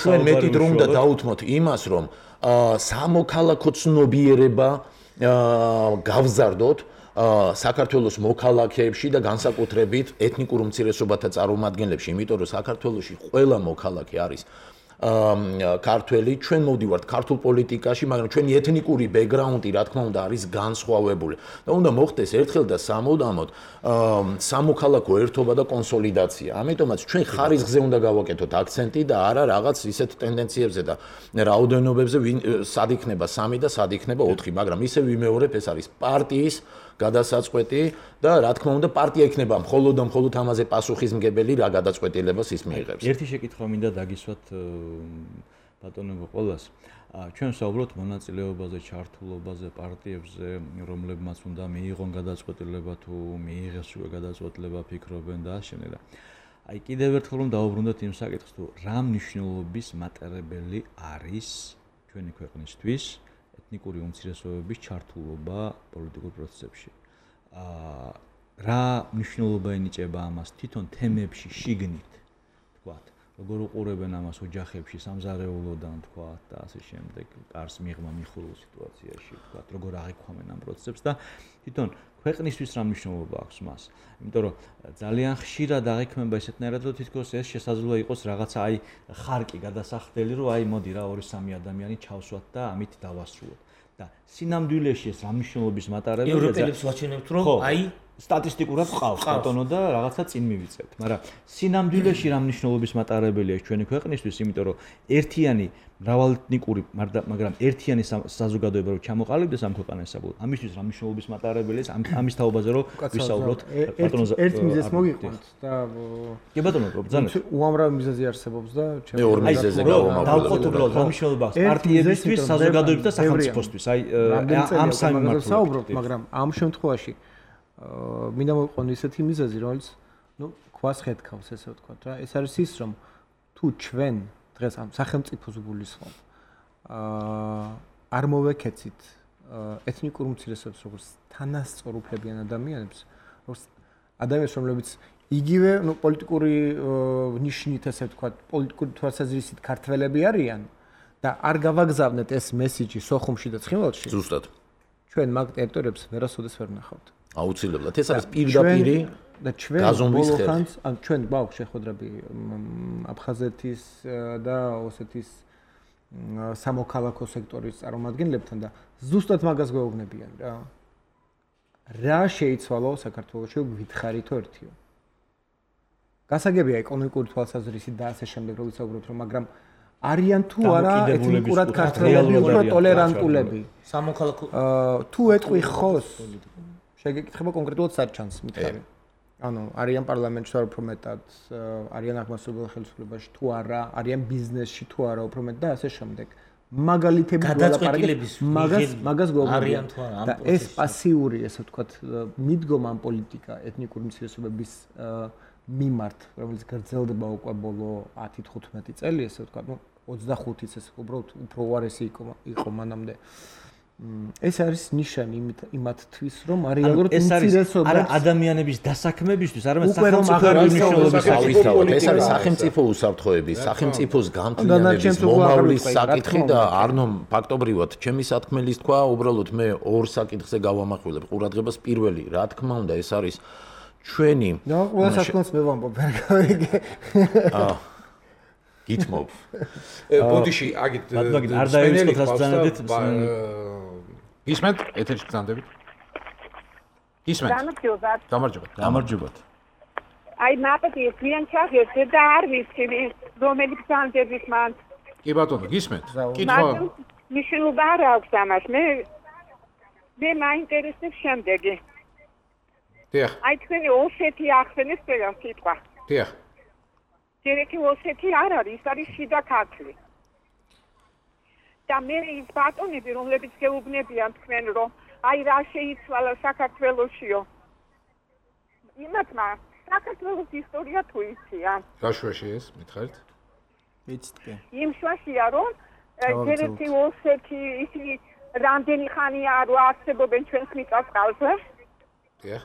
ჩვენ მეტი დრო უნდა დაუთმოთ იმას, რომ სამოქალაქო ცნობიერება გავზარდოთ საქართველოს მოქალაქეებში და განსაკუთრებით ეთნიკურ უმცირესობათა წარმომადგენლებში, იმიტომ რომ საქართველოში ყველა მოქალაქე არის ქართველი, ჩვენ მოვდივართ ქართულ პოლიტიკაში, მაგრამ ჩვენი ეთნიკური ბექგრაუნდი, რა თქმა უნდა, არის განსხვავებული. და უნდა მოხდეს ერთხელ და სამუდამოდ სამოქალაქო ერთობა და კონსოლიდაცია. ამიტომაც ჩვენ ხარისხზე უნდა გავაკეთოთ აქცენტი და არა რაღაც ისეთ ტენდენციებზე და რაოდენობებზე, სად იქნება სამი და სად იქნება ოთხი, მაგრამ ისე ვიმეორებ, ეს არის პარტიის გადასაწყვეტი და რა თქმა უნდა პარტია იქნება მხოლოდ და მხოლოდ ამაზე პასუხისმგებელი რა გადაწყვეტილებას ის მიიღებს. ერთი შეკითხვა მინდა დაგისვათ ბატონებო ყველას. ჩვენ ვსაუბრობთ მონაწილეობაზე, ჩართულობაზე, პარტიებზე, რომლებმაც უნდა მიიღონ გადაწყვეტილება თუ მიიღეს უკვე გადაწყვეტილება, ფიქრობენ და ამავდროულად. აი კიდევ ერთხელ რომ დავუბრუნდეთ იმ საკითხს, თუ რა მნიშვნელობის მატარებელი არის ჩვენი ქვეყნისთვის ეთნიკური უმცირესობების ჩართულობა პოლიტიკურ პროცესებში. აა რა მნიშვნელობა ენიჭება ამას თვითონ თემებში შიგნით, თქვათ, როგორ უყურებენ ამას ოჯახებში, სამზარეულოდან, თქვათ და ასე შემდეგ, კარს მიღმა მიხურულ სიტუაციაში, თქვათ, როგორ აღიქვამენ ამ პროცესებს და თვითონ ქვეყნისთვის რა მნიშვნელობა აქვს მას. იმიტომ რომ ძალიან ხშირად აღიქმება ესეთნაირად, რომ თითქოს ეს შესაძლოა იყოს რაღაცა აი ხარკი გადასახდელი, რომ აი მოდი რა ორი სამი ადამიანი ჩავსვათ და ამით დავასრულოთ. და სინამდვილეში ეს რა მნიშვნელობის მატარებელია? ევროპელებს ვაჩვენებთ, რომ აი სტატისტიკურად ყავს ბატონო და რაღაცა წინ მივიწევთ, მაგრამ სინამდვილეში რა მნიშვნელობის მატარებელია ეს ჩვენი ქვეყნისთვის, იმიტომ რომ ერთიანი მრავალეთნიკური, მაგრამ ერთიანი საზოგადოება რო ჩამოყალიბდეს ამ ქვეყანასაბოლოოდ, ამისთვის რა მნიშვნელობის მატარებელია ეს ამის თაობაზე რო ვისაუბროთ ბატონო. ერთ მიზეზს მოგიყვანთ და კი ბატონო, ბრძანეთ. უამრავი მიზეზი არსებობს და მე ორ მიზეზზე გავამაყობ. დავყოთ უბრალოდ რა მნიშვნელობა აქვს პარტიებისთვის, საზოგადოებისთვის და სახელმწიფოსთვის. აი ამ სამი მარტივად საუბრობთ, მაგრამ ამ შემთხვევაში მინდა მოვიყვანო ისეთი მიზეზი, რომელიც ნუ ქვას ხედავს, ესე ვთქვათ რა. ეს არის ის, რომ თუ ჩვენ დღეს ამ სახელმწიფოს გულისხმობ, აა არ მოვეკეცით ეთნიკურ უმცირესობებს, როგორც თანასწორუფლებიან ადამიანებს, როგორც ადამიანებს, რომლებიც იგივე, ნუ პოლიტიკური ნიშნით, ესე ვთქვათ, პოლიტიკური თვალსაზრისით ქართველები არიან და არ გავაგზავნეთ ეს მესიჯი სოხუმში და ცხინვალში. ზუსტად. ჩვენ მაგ ტერიტორიებს ვერასოდეს ვერ ნახავთ. აუცილებლად. ეს არის პირდაპირი და ჩვენ ბოლო ხანს, ან ჩვენ გვაქვს შეხვედრები აფხაზეთის და ოსეთის სამოქალაქო სექტორის წარმომადგენლებთან და ზუსტად მაგას გვეუბნებიან რა. რა შეიცვალო საქართველოში გითხარითო ერთიო. გასაგებია ეკონომიკური თვალსაზრისით და ასე შემდეგ, რომ ვისაუბროთ, რომ მაგრამ არიან თუ არა ეთნიკურად ქართველები, უფრო ტოლერანტულები. სამოქალაქო თუ ეტყვი ხოს შეგეკითხება კონკრეტულად საჩანს მითხარი. ანუ არიან პარლამენტში თუ არა უფრო მეტად, არიან აღმასრულებელ ხელისუფლებაში თუ არა, არიან ბიზნესში თუ არა უფრო მეტად და ასე შემდეგ. მაგალითები გადაწყვეტილების მაგას მაგას არიან თუ არა ამ და ეს პასიური, ესე ვთქვათ, მიდგომა ამ პოლიტიკა ეთნიკური უმცირესობების მიმართ, რომელიც გრძელდება უკვე ბოლო ათი თხუთმეტი წელი, ესე ვთქვათ, ნუ ოცდახუთიც ეს უბრალოდ უფრო უარესი იყო იყო მანამდე. ეს არის ნიშანი იმათთვის, რომ რეალურად უმცირესობებს არა ადამიანების დასაქმებისთვის, არამედ სახელმწიფოების მნიშვნელობის საკითხი. ეს არის სახელმწიფო უსაფრთხოების, სახელმწიფოს განთვლიანების მომავლის საკითხი და არნომ ფაქტობრივად ჩემი სათქმელის თქვა, უბრალოდ მე ორ საკითხზე გავამახვილებ ყურადღებას. პირველი, რა თქმა უნდა, ეს არის ჩვენი და ყველა საკითხს მე ვამბობ, ვერ გავიგე. აა გითმობ. ბოდიში, აგით არ დაივიწყოთ რას ბრძანებით. ისმენთ ეთერში ბრძანდებით. ისმენთ. გამარჯობათ. გამარჯობათ. გამარჯობათ. აი ნაპეტი ძალიან ჩაღერდე და არ ვიცი რომელი ბრძანდების მან. კი ბატონო, გისმენთ. კითხვა. მნიშვნელობა არ აქვს ამას. მე მე მაინტერესებს შემდეგი. დიახ. აი თქვენი ოსეთი ახსენეს ყველა სიტყვა. დიახ. ჯერეკი ოსეთი არ არის, ის არის შიდა ქართლი. და მე ის ბატონები, რომლებიც გეუბნებიან თქვენ, რომ აი რა შეიცვალა საქართველოსიო. იმათმა საქართველოს ისტორია თუ იცია. რა შვაში ეს მითხარით? ვიცით. იმ შვაშია რომ ერთ-ერთი ოსეთი ისინი რამდენი ხანია რომ არსებობენ ჩვენს მიწა-წყალზე. დიახ.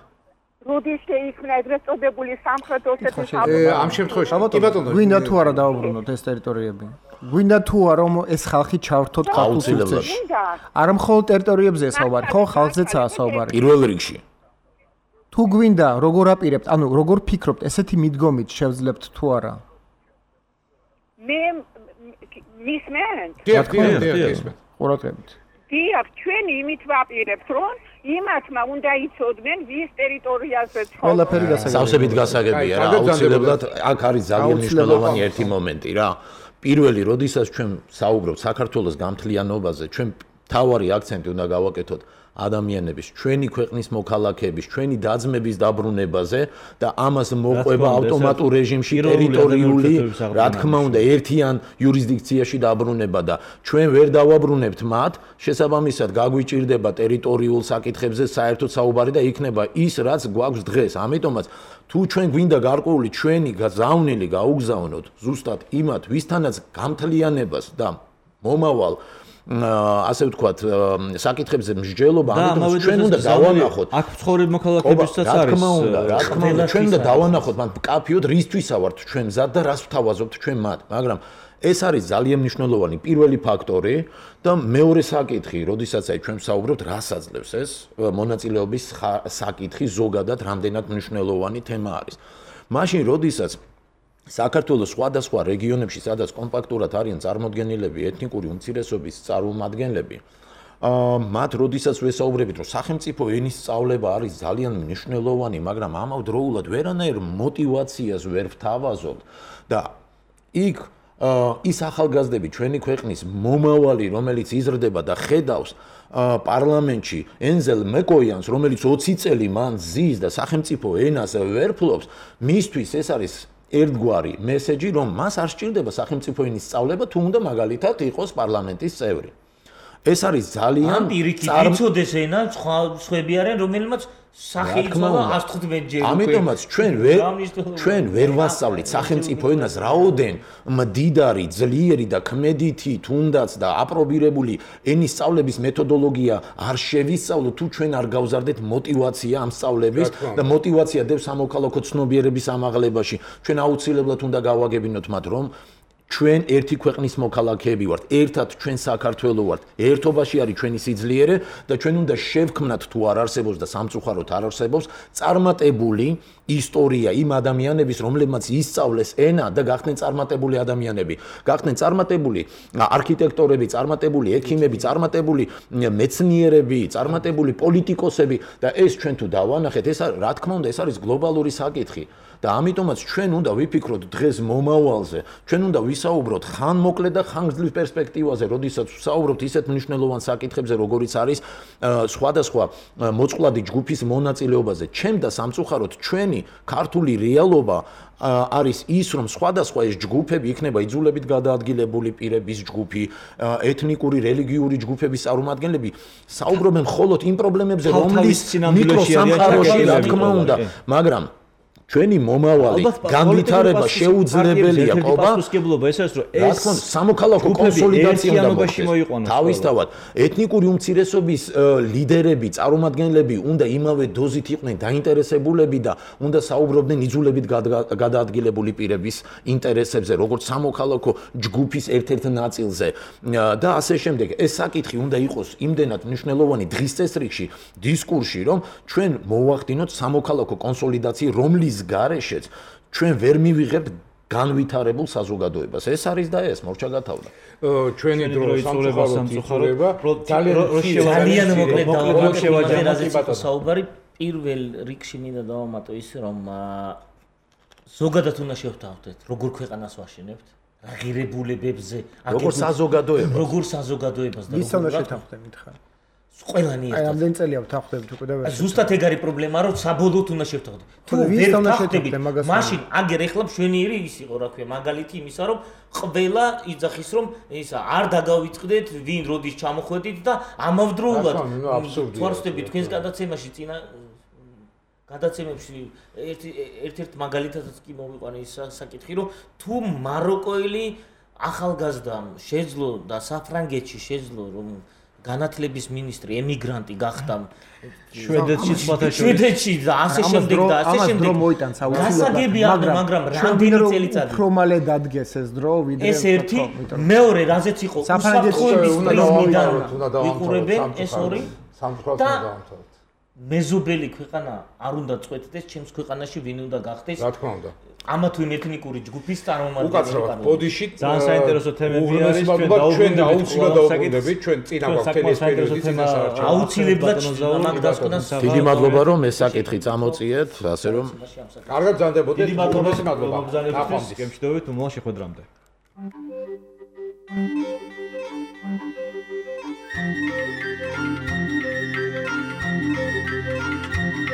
როდის შეიქმნა ეგრეთ წოდებული სამხრეთ ოსეთის საბჭო? ამ შემთხვევაში კი ბატონო, გვინდა თუ არა დავუბრუნოთ ეს ტერიტორიები? გვინდა თუ არა რომ ეს ხალხი ჩავრთოთ ქართულ სივრცეში? არა მხოლოდ ტერიტორიებზე საუბარი, ხო, ხალხზეცაა საუბარი. პირველ რიგში. თუ გვინდა როგორ აპირებთ, ანუ როგორ ფიქრობთ, ესეთი მიდგომით შევძლებთ თუ არა? მე მისმენთ. დიახ, დიახ, დიახ. ყურადღებით. დიახ, ჩვენ იმით ვაპირებთ, რომ იმათმა უნდა იცოდნენ ვის ტერიტორიაზე ცხოვრობენ. ყველაფერი გასაგებია. სავსებით გასაგებია რა, აუცილებლად აქ არის ძალიან მნიშვნელოვანი ერთი მომენტი რა. პირველი, როდესაც ჩვენ საუბრობთ საქართველოს გამთლიანობაზე, ჩვენ თავარი აქცენტი უნდა გავაკეთოთ ადამიანების, ჩვენი ქვეყნის მოქალაქეების, ჩვენი დაძმების დაბრუნებაზე და ამას მოყვება ავტომატურ რეჟიმში ტერიტორიული, რა თქმა უნდა, ერთიან იურისდიქციაში დაბრუნება და ჩვენ ვერ დავაბრუნებთ მათ, შესაბამისად გაგვიჭირდება ტერიტორიულ საკითხებზე საერთოდ საუბარი და იქნება ის, რაც გვაქვს დღეს. ამიტომაც თუ ჩვენ გვინდა გარკვეული ჩვენი გაზავნილი გაუგზავნოთ ზუსტად იმათ, ვისთანაც გამთლიანებას და მომავალ ასე ვთქვათ, საკითხებზე მსჯელობა, ამიტომ ჩვენ უნდა დავანახოთ. აქ ცხოვრებ მოქალაქეებსაც არის. რა თქმა უნდა, რა თქმა უნდა, ჩვენ უნდა დავანახოთ, მან მკაფიოდ რისთვისა ვართ ჩვენ მზად და რას ვთავაზობთ ჩვენ მათ. მაგრამ ეს არის ძალიან მნიშვნელოვანი პირველი ფაქტორი და მეორე საკითხი, როდესაც აი ჩვენ ვსაუბრობთ, რას აძლევს ეს მონაწილეობის საკითხი ზოგადად რამდენად მნიშვნელოვანი თემა არის. მაშინ როდესაც საქართველოს სხვადასხვა რეგიონებში, სადაც კომპაქტურად არიან წარმოდგენილები ეთნიკური უმცირესობის წარმომადგენლები, აა მათ როდესაც ვესაუბრებით, რომ სახელმწიფო ენის სწავლება არის ძალიან მნიშვნელოვანი, მაგრამ ამავდროულად ვერანაირ мотиваციას ვერ ვთავაზობთ და იქ ის ახალგაზრდები ჩვენი ქვეყნის მომავალი, რომელიც იზრდება და ხედავს პარლამენტში ენზელ მეკოიანს, რომელიც ოცი წელი მან ზის და სახელმწიფო ენას ვერ ფლობს, მისთვის ეს არის ერთგვარი მესეჯი, რომ მას არ სჭირდება სახელმწიფო ენის სწავლება, თუ უნდა მაგალითად იყოს პარლამენტის წევრი. ეს არის ძალიან ამ პირიქით იცოდეს ენა, სხვა სხვები არიან, რომელმაც სახე იცოდა ას თხუთმეტ ჯერ. ამიტომაც ჩვენ ვერ ჩვენ ვერ ვასწავლით სახელმწიფო ენას რაოდენ მდიდარი, ძლიერი და ქმედითი, თუნდაც და აპრობირებული ენის სწავლების მეთოდოლოგია არ შევისწავლოთ, თუ ჩვენ არ გავზარდეთ мотиваცია ამ სწავლების და мотиваცია დევს სამოქალაქო ცნობიერების ამაღლებაში. ჩვენ აუცილებლად უნდა გავაგებინოთ მათ, რომ ჩვენ ერთი ქვეყნის მოქალაქეები ვართ, ერთად ჩვენ საქართველო ვართ, ერთობაში არის ჩვენი სიძლიერე და ჩვენ უნდა შევქმნათ თუ არ არსებობს და სამწუხაროდ არ არსებობს წარმატებული ისტორია იმ ადამიანების, რომლებმაც ისწავლეს ენა და გახდნენ წარმატებული ადამიანები. გახდნენ წარმატებული არქიტექტორები, წარმატებული ექიმები, წარმატებული მეცნიერები, წარმატებული პოლიტიკოსები და ეს ჩვენ თუ დავანახეთ, ეს რა თქმა უნდა, ეს არის გლობალური საკითხი. და ამიტომაც ჩვენ უნდა ვიფიქროთ დღეს მომავალზე, ჩვენ უნდა ვისაუბროთ ხანმოკლე და ხანგრძლივ პერსპექტივაზე, როდესაც ვსაუბრობთ ისეთ მნიშვნელოვან საკითხებზე, როგორიც არის სხვადასხვა მოწყვლადი ჯგუფის მონაწილეობაზე. ჩემ და სამწუხაროდ ჩვენი ქართული რეალობა არის ის, რომ სხვადასხვა ეს ჯგუფები იქნება იძულებით გადაადგილებული პირების ჯგუფი, ეთნიკური, რელიგიური ჯგუფების წარმომადგენლები, საუბრობენ მხოლოდ იმ პრობლემებზე, რომლის მიკროსამყაროში, რა თქმა უნდა, მაგრამ ჩვენი მომავალი განვითარება შეუძლებელია ყობა. პასუხისმგებლობა ეს არის, რომ ეს სამოქალაქო კონსოლიდაცია უნდა მოხდეს. თავისთავად, ეთნიკური უმცირესობის ლიდერები, წარმომადგენლები უნდა იმავე დოზით იყვნენ დაინტერესებულები და უნდა საუბრობდნენ იძულებით გადაადგილებული პირების ინტერესებზე, როგორც სამოქალაქო ჯგუფის ერთ-ერთ ნაწილზე და ასე შემდეგ. ეს საკითხი უნდა იყოს იმდენად მნიშვნელოვანი დღის წესრიგში, დისკურსში, რომ ჩვენ მოვახდინოთ სამოქალაქო კონსოლიდაცია, რომლის გარეშეც ჩვენ ვერ მივიღებთ განვითარებულ საზოგადოებას. ეს არის და ეს მორჩა გათავდა. ჩვენი დრო სამწუხაროა ძალიან მოკლედ დავაკვირდეთ საუბარი. პირველ რიგში მინდა დავამატო ის, რომ ზოგადად უნდა შევთავაზოთ, როგორ ქვეყანას ვაშენებთ, ღირებულებებზე, როგორ საზოგადოებას, როგორ საზოგადოებას და როგორ შევთავაზოთ მითხარ. ყველანი აი ამდენ წელია ვთანხმდებით უკვე და ზუსტად ეგ არის პრობლემა, რომ საბოლოოდ უნდა შევთანხმდეთ. თუ ვერ ვთანხმდებით, მაშინ აგერ ეხლა მშვენიერი ის იყო, რა ქვია, მაგალითი იმისა, რომ ყველა იძახის, რომ ისა არ დაგავიწყდეთ, ვინ როდის ჩამოხვედით და ამავდროულად თვარსტები თქვენს გადაცემაში წინა გადაცემებში ერთ-ერთ მაგალითადაც კი მოვიყვანე ის საკითხი, რომ თუ მაროკოელი ახალგაზრდამ შეძლო და საფრანგეთში შეძლო, რომ განათლების მინისტრი ემიგრანტი გახდა შვედეთში სხვათა შორის შვედეთში და ასე შემდეგ და ასე შემდეგ ამას დრო მოიტანს აუცილებლად მაგრამ რამდენი წელიწადი უფრო მალე დადგეს ეს დრო ვიდრე ეს ერთი მეორე რაზეც იყო უსაფრთხოების პრიზმიდან ვიყურებენ ეს ორი სამწუხაროდ დაამთავრეთ მეზობელი ქვეყანა არ უნდა წვეთდეს ჩემს ქვეყანაში ვინ უნდა გახდეს რა თქმა უნდა ამა თუ იმ ეთნიკური ჯგუფის წარმომადგენელი უკაცრავად ბოდიში ძალიან საინტერესო თემები არის ჩვენ ჩვენ აუცილებლად დავუკვირდებით ჩვენ წინა გვაქვს ეს პერიოდი წინასაარჩევნო აუცილებლად მაგ დასკვნას დიდი მადლობა რომ ეს საკითხი წამოწიეთ ასე რომ კარგად ბრძანდებოდეთ დიდი მადლობა ბრძანებისთვის გემშვიდობით უმალ შეხვედრამდე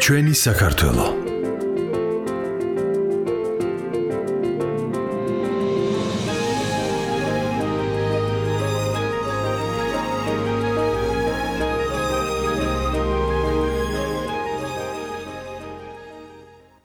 ჩვენი საქართველო